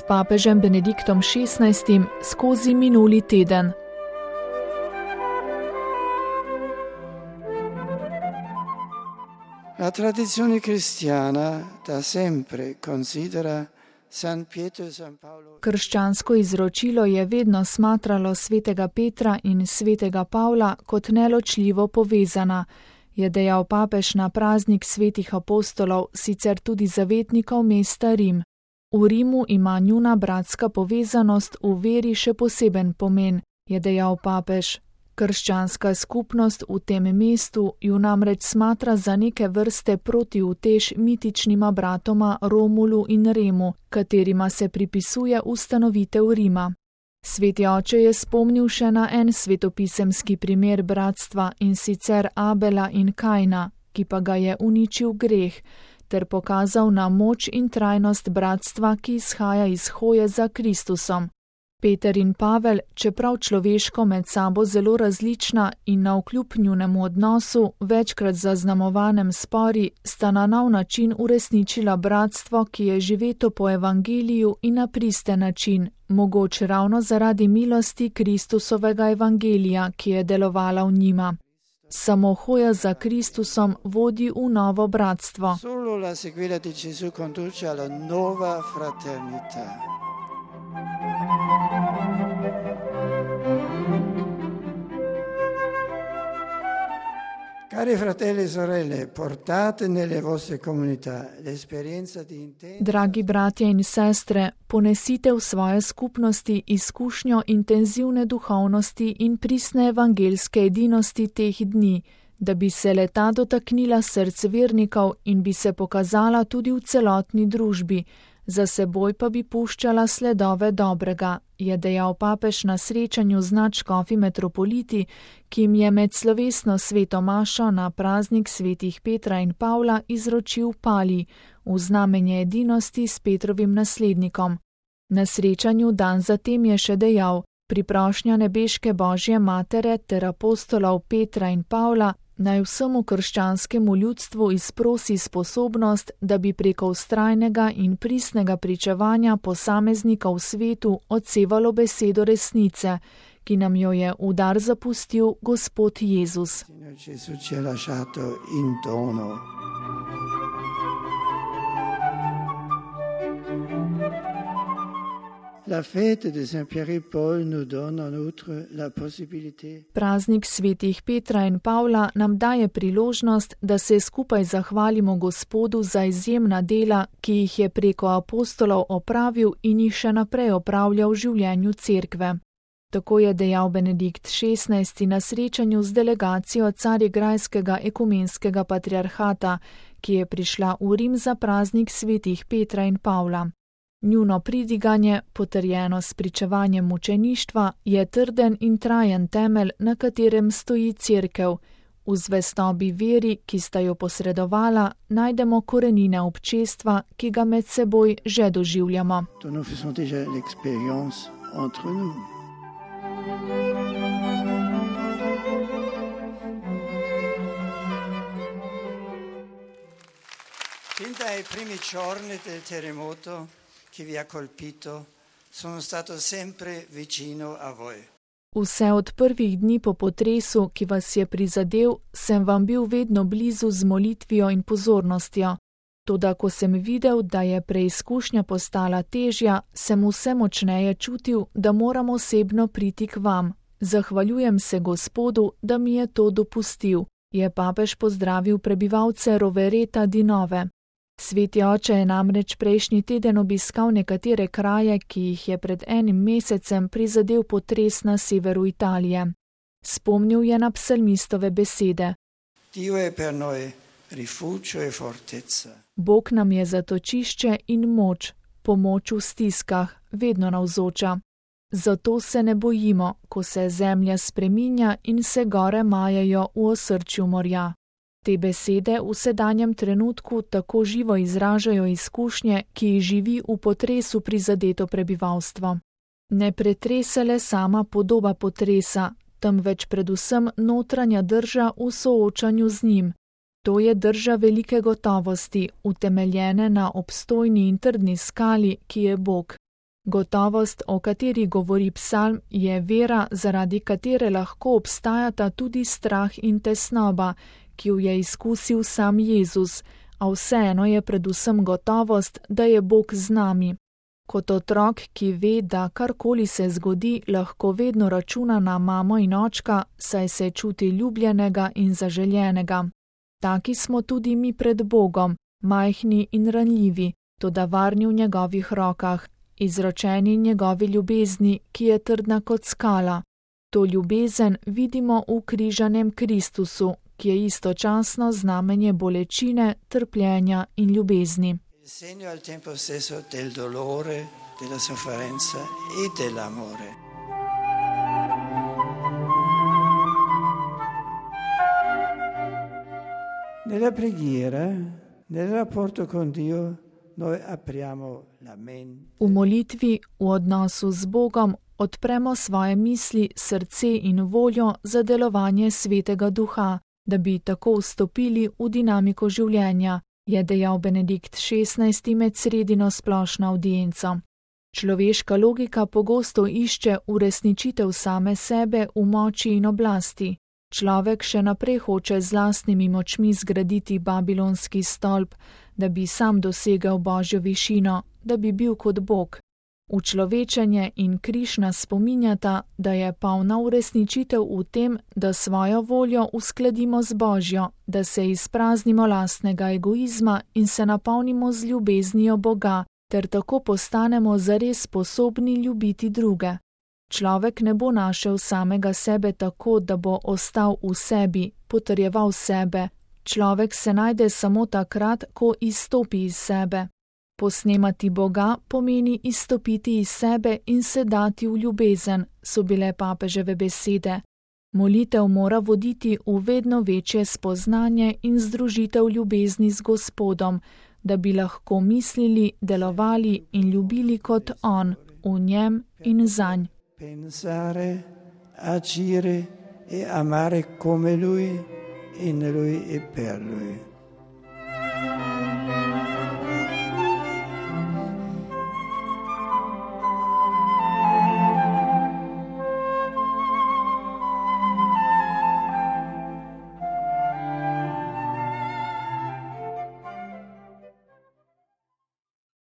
s papežem Benediktom XVI skozi minuli teden. La tradizione cristiana da sempre considera San Pietro e San Paolo. Krščansko izročilo je vedno smatralo svetega Petra in svetega Pavla kot neločljivo povezana, je dejal papež na praznik svetih apostolov, sicer tudi zavetnikov mesta Rim. V Rimu ima njuna bratska povezanost v veri še poseben pomen, je dejal papež. Krščanska skupnost v tem mestu ju namreč smatra za neke vrste protiutež mitičnima bratoma Romulu in Remu, katerima se pripisuje ustanovitev Rima. Sveti oče je spomnil še na en svetopisemski primer bratstva, in sicer Abela in Kajna, ki pa ga je uničil greh, ter pokazal na moč in trajnost bratstva, ki izhaja iz hoje za Kristusom. Peter in Pavel, čeprav človeško med sabo zelo različna in navkljub njunemu odnosu, večkrat zaznamovanem spori, sta na nov način uresničila bratstvo, ki je živeto po evangeliju in na pristen način, mogoče ravno zaradi milosti Kristusovega evangelija, ki je delovala v njima. Samo hoja za Kristusom vodi v novo bratstvo. Solo la seguita di Gesù conduce alla nuova fraternità. Cari fratelli e sorelle, portate nelle vostre comunità l'esperienza di intendere. Dragi bratje in sestre, ponesite v svoje skupnosti izkušnjo intenzivne duhovnosti in pristne evangelske edinosti teh dni, da bi se leta dotaknila src vernikov in bi se pokazala tudi v celotni družbi, za seboj pa bi puščala sledove dobrega, je dejal papež na srečanju z nadškofi metropoliti, ki jim je med slovesno sveto mašo na praznik svetih Petra in Pavla izročil palij v znamenje edinosti s Petrovim naslednikom. Na srečanju dan zatem je še dejal: priprošnja nebeške Božje matere ter apostolov Petra in Pavla naj vsemu krščanskemu ljudstvu izprosi sposobnost, da bi preko vztrajnega in pristnega pričevanja posameznika v svetu odsevalo besedo resnice, ki nam jo je v dar zapustil Gospod Jezus. La fête de Saint-Pierre et Paul nous donne en outre la possibilité. Praznik svetih Petra in Pavla nam daje priložnost, da se skupaj zahvalimo Gospodu za izjemna dela, ki jih je preko apostolov opravil in jih še naprej opravlja v življenju cerkve. Tako je dejal Benedikt XVI na srečanju z delegacijo Carigrajskega ekumenskega patriarhata, ki je prišla v Rim za praznik svetih Petra in Pavla. Njuno pridiganje, potrjeno s pričevanjem mučeništva, je trden in trajen temelj, na katerem stoji cerkev. V zvestobi veri, ki sta jo posredovala, najdemo korenine občestva, ki ga med seboj že doživljamo. Fin dai primi giorni del terremoto che vi ha colpito, sono stato sempre vicino a voi. Vse od prvih dni po potresu, ki vas je prizadel, sem vam bil vedno blizu z molitvijo in pozornostjo. Toda ko sem videl, da je preizkušnja postala težja, sem vse močneje čutil, da moram osebno priti k vam. Zahvaljujem se Gospodu, da mi je to dopustil, je papež pozdravil prebivalce Rovereta di Nove. Sveti oče je namreč prejšnji teden obiskal nekatere kraje, ki jih je pred enim mesecem prizadel potres na severu Italije. Spomnil je na psalmistove besede: Dio è per noi rifugio e fortezza. Bog nam je zatočišče in moč, pomoč v stiskah, vedno navzoča. Zato se ne bojimo, ko se zemlja spreminja in se gore majejo v osrčju morja. Te besede v sedanjem trenutku tako živo izražajo izkušnje, ki jih živi v potresu prizadeto prebivalstvo. Ne pretrese le sama podoba potresa, temveč predvsem notranja drža v soočanju z njim. To je drža velike gotovosti, utemeljene na obstojni in trdni skali, ki je Bog. Gotovost, o kateri govori psalm, je vera, zaradi katere lahko obstajata tudi strah in tesnoba, ki jo je izkusil sam Jezus, a vseeno je predvsem gotovost, da je Bog z nami. Kot otrok, ki ve, da karkoli se zgodi, lahko vedno računa na mamo in očka, saj se čuti ljubljenega in zaželjenega. Taki smo tudi mi pred Bogom, majhni in ranljivi, toda varni v njegovih rokah, izročeni njegovi ljubezni, ki je trdna kot skala. To ljubezen vidimo v križanem Kristusu, ki je istočasno znamenje bolečine, trpljenja in ljubezni. Segno al tempo stesso del dolore, della sofferenza e dell'amore. Nella preghiera, nel rapporto con Dio, noi apriamo la mente. V molitvi, v odnosu z Bogom, odpremo svoje misli, srce in voljo za delovanje Svetega Duha, da bi tako vstopili v dinamiko življenja, je dejal Benedikt XVI med sredino splošno avdienco. Človeška logika pogosto išče uresničitev same sebe v moči in oblasti. Človek še naprej hoče z lastnimi močmi zgraditi babilonski stolp, da bi sam dosegel Božjo višino, da bi bil kot Bog. Učlovečenje in križ nas spominjata, da je polna uresničitev v tem, da svojo voljo uskladimo z Božjo, da se izpraznimo lastnega egoizma in se napolnimo z ljubeznijo Boga, ter tako postanemo zares sposobni ljubiti druge. Človek ne bo našel samega sebe tako, da bo ostal v sebi, potrjeval sebe. Človek se najde samo takrat, ko izstopi iz sebe. Posnemati Boga pomeni izstopiti iz sebe in se dati v ljubezen, so bile papeževe besede. Molitev mora voditi v vedno večje spoznanje in združitev ljubezni z Gospodom, da bi lahko mislili, delovali in ljubili kot On, v njem in zanj. Pensare, agire e amare come Lui, in Lui e per Lui.